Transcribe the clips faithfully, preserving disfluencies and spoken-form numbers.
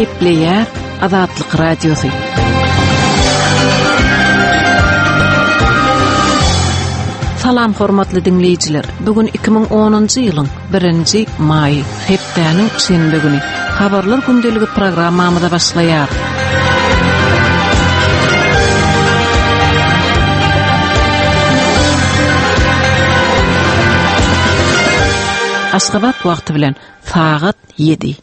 Gepleýär Azatlyk Radiosy. Salam hormatly diňleýjiler. Bu gün iki müň onunjy ýylyň birinji maýy, hepdäniň şenbe güni. Habarlar gündeligi programmamyza başlaýar. Aşgabat wagty bilen sagat ýedi.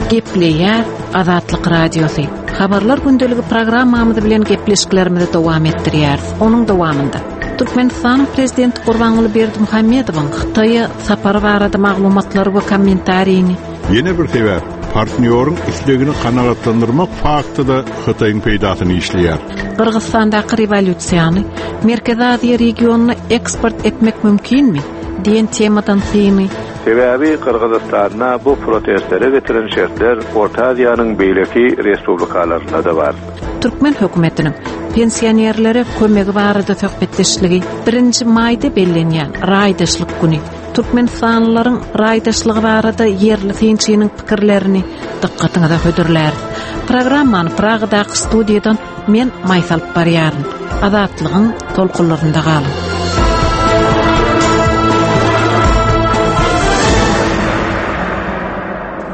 Gepleýär Azatlyk Radiosy. Habarlar gündeligi programmamyz bilen gepleşiklerimizi dowam etdirýäris. Onuň dowamynda Türkmenistanyň Prezidenti Gurbanguly Berdimuhamedowyň Hytaýa sapary barada maglumatlary we kommentarini. Ýene bir sebäp, partnýoryň islegini kanagatlandyrmak fakty-da Hytaýyň peýdasyny işleýär. Gyrgyzystandaky rewolýusiýany Merkezi Aziýa regionyna eksport etmek mümkinmi? Diýen temadan syny. Sebäbi Gyrgyzystanda bu protestlere getiren şertler Orta Aziýanyň beýleki respublikalarynda-da bar. Türkmen hökümetiniň pensionerlere kömegi barada söhbetdeşligi birinji maýda bellenýän raýdaşlyk güni. Türkmenistanlylaryň raýdaşlygy barada ýerli synçynyň pikirlerini dykgatyňyza hödürläris. Programmany Pragadaky studiýadan men Maýsa alyp barýaryn. Azatlygyň tolkunlarynda galyň.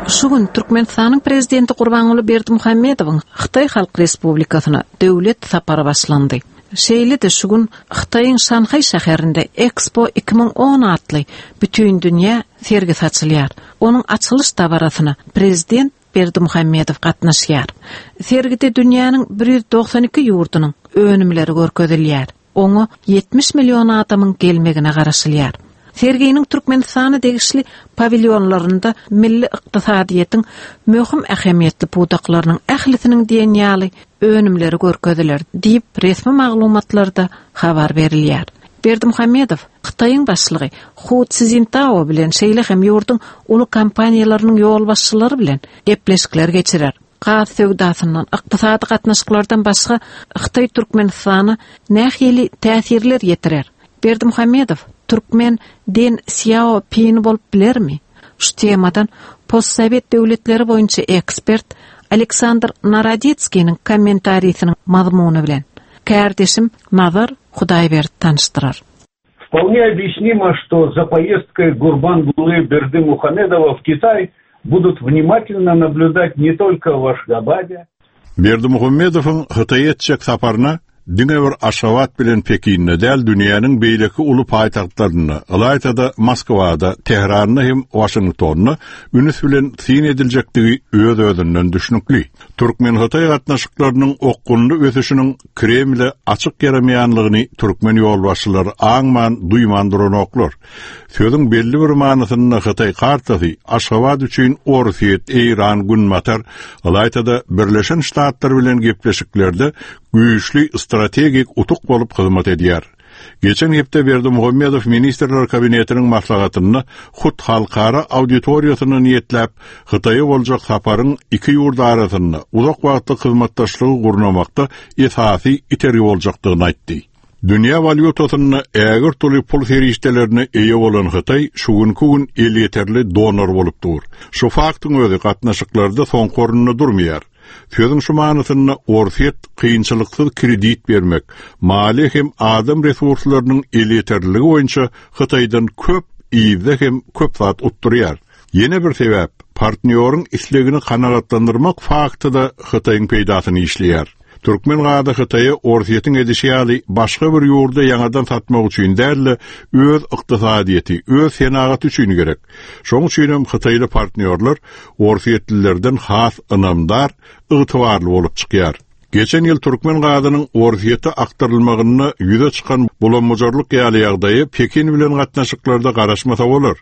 Şu gün Türkmenistanyň Prezidenti Gurbanguly Berdimuhamedowyň Hytaý Halk Respublikasyna döwlet sapary başlandy. Şeýle-de şu gün Hytaýyň Şanhaý şäherinde Expo iki müň on atly bütindünýä sergisi açylýar. Onuň açylyş dabarasyna Prezident Berdimuhamedow gatnaşýar. Sergide dünýäniň bir ýüz dogsan iki ýurdunyň önümleri görkezilýär. Oňa ýetmiş million adamyň gelmegine garaşylýar. Serginiň Türkmenistana degişli pavilýonlarynda milli ykdysadyýetiň möhüm ähmiýetli pudaklarynyň ählisiniň diýen ýaly önümleri görkeziler diýip resmi maglumatlarda habar berilýär. Berdimuhamedow Hytaýyň başlygy Hu Tsintao bilen şeýle hem ýurduň uly kompaniýalarynyň ýolbaşçylary bilen gepleşikler geçirer. Gaz söwdasyndan, ykdysady gatnaşyklardan başga Hytaý Türkmenistana nähili täsirler ýetirer? Berdimuhamedow Türkmen Den Sýaopin bolup bilermi? Şu temadan postsovet döwletleri boýunça ekspert Aleksandr Narodetskiniň kommentarisiniň mazmuny bilen kärdeşim Nazar Hudaýberdi tanyşdyrar. Вполне объяснимо, что за поездкой Гурбангулы Бердымухамедова в Китай будут внимательно наблюдать не только в Ашгабаде. Berdimuhamedowyň Hytaýa etjek saparyna diňe bir Aşgabat bilen Pekinde däl, dünýäniň beýleki uly paýtagtlarynda, ylaýta-da Moskwada, Tähranda hem Waşingtonda ünüs bilen syn ediljekdigi öz-özünden düşnükli. Türkmen-Hytaý gatnaşyklarynyň okgunly ösüşiniň Kremle açyk ýaramaýanlygyny türkmen ýolbaşçylary aňman, duýman duranoklar. Sözüň belli bir manysynda Hytaý kartasy Aşgabat üçin Orsýet, Eýran, Günbatar, ylaýta-da Birleşen Ştatlar bilen gepleşiklerde güýçli strategik utuk bolup hyzmat edýär. Geçen hepde Berdimuhamedow Ministrler Kabinetiniň maslahatynda hut halkara auditoriýasyna niýetläp Hytaýa boljak saparyň iki ýurt arasynda uzak wagtlyk hyzmatdaşlygy gurnamakda esasy itergi boljakdygyny aýtdy. Dünýä walýutasynda ägirt uly pul serişdelerine eýe bolan Hytaý şu günkü gün elýeterli donor bolup dur. Şu faktyň özi gatnaşyklarda soňky orunda durmaýar. Sözüň şu manysynda Orsýet kynçylyksyz kredit bermek, maliýe hem adam resurslarynyň elýeterliligi boýunça Hytaýdan köp ýerde hem köp zat utdurýar. Ýene bir sebäp, partnýoryň islegini kanagatlandyrmak fakty-da Hytaýyň peýdasyny işleýär. Türkmen gazy Hytaýa Orsýetiň edişi ýaly başga bir ýurda ýaňadan satmak üçin däl-de, öz ykdysadyýeti, öz senagaty üçin gerek. Şonuň üçin hem Hytaýly partnýorlar Orsýetlilerden has ynamdar, ygtybarly bolup çykýar. Geçen ýyl türkmen gazynyň Orsýete akdyrylmagynda ýüze çykan bulambujarlyk ýaly ýagdaýy Pekin bilen gatnaşyklarda garaşmasa bolar.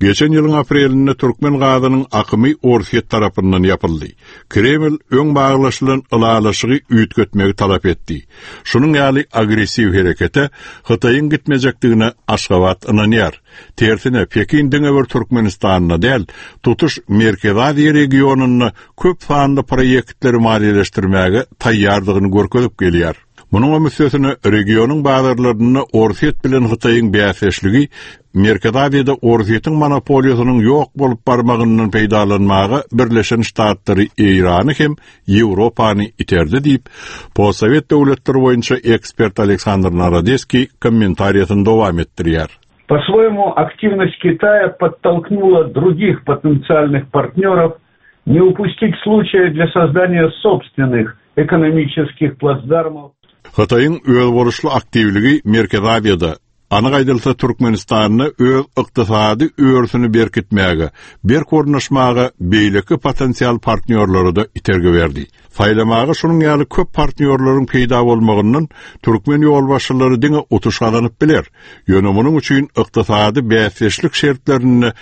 Geçen ýylyň aprelinde türkmen gazynyň akymy Orsýet tarapyndan ýapyldy. Kreml öň baglaşylan ylalaşygy üýtgetmegi talap etdi. Şunuň ýaly agressiw herekete Hytaýyň gitmejekdigine Aşgabat ynanýar. Tersine Pekin diňe bir Türkmenistanda däl, tutuş Merkezi Aziýa regionynda köp sanly proýektleri maliýeleşdirmäge taýýardygyny görkezip gelýär. Munuň üstesine regionyň bazarlarynda Orsýet bilen Hytaýyň bäsdeşligi Merkezi Aziýada Orsýetiň monopoliýasynyň ýok bolup barmagyndan peýdalanmaga Birleşen Ştatlary Eýrany hem Ýewropany iterdi diýip, postsowet döwletleri boýunça ekspert Aleksandr Narodeskiý kommentariýasyny dowam etdirýär. По-своему, активность Китая подтолкнула других потенциальных партнеров не упустить случая для создания собственных экономических плацдармов. Hytaýyň özboluşly aktiwligi Merkezi Aziýada, anyk aýdylsa Türkmenistanda öz ykdysady örüsini berkitmäge, berk ornaşmaga beýleki potensial partnýorlara-da itergi berdi. Saýlamaga şunuň ýaly köp partnýorlaryň peýda bolmagyndan türkmen ýolbaşçylary diňe utuş gazanyp biler. Ýöne munuň üçin ykdysady bäsdeşlik şertlerinde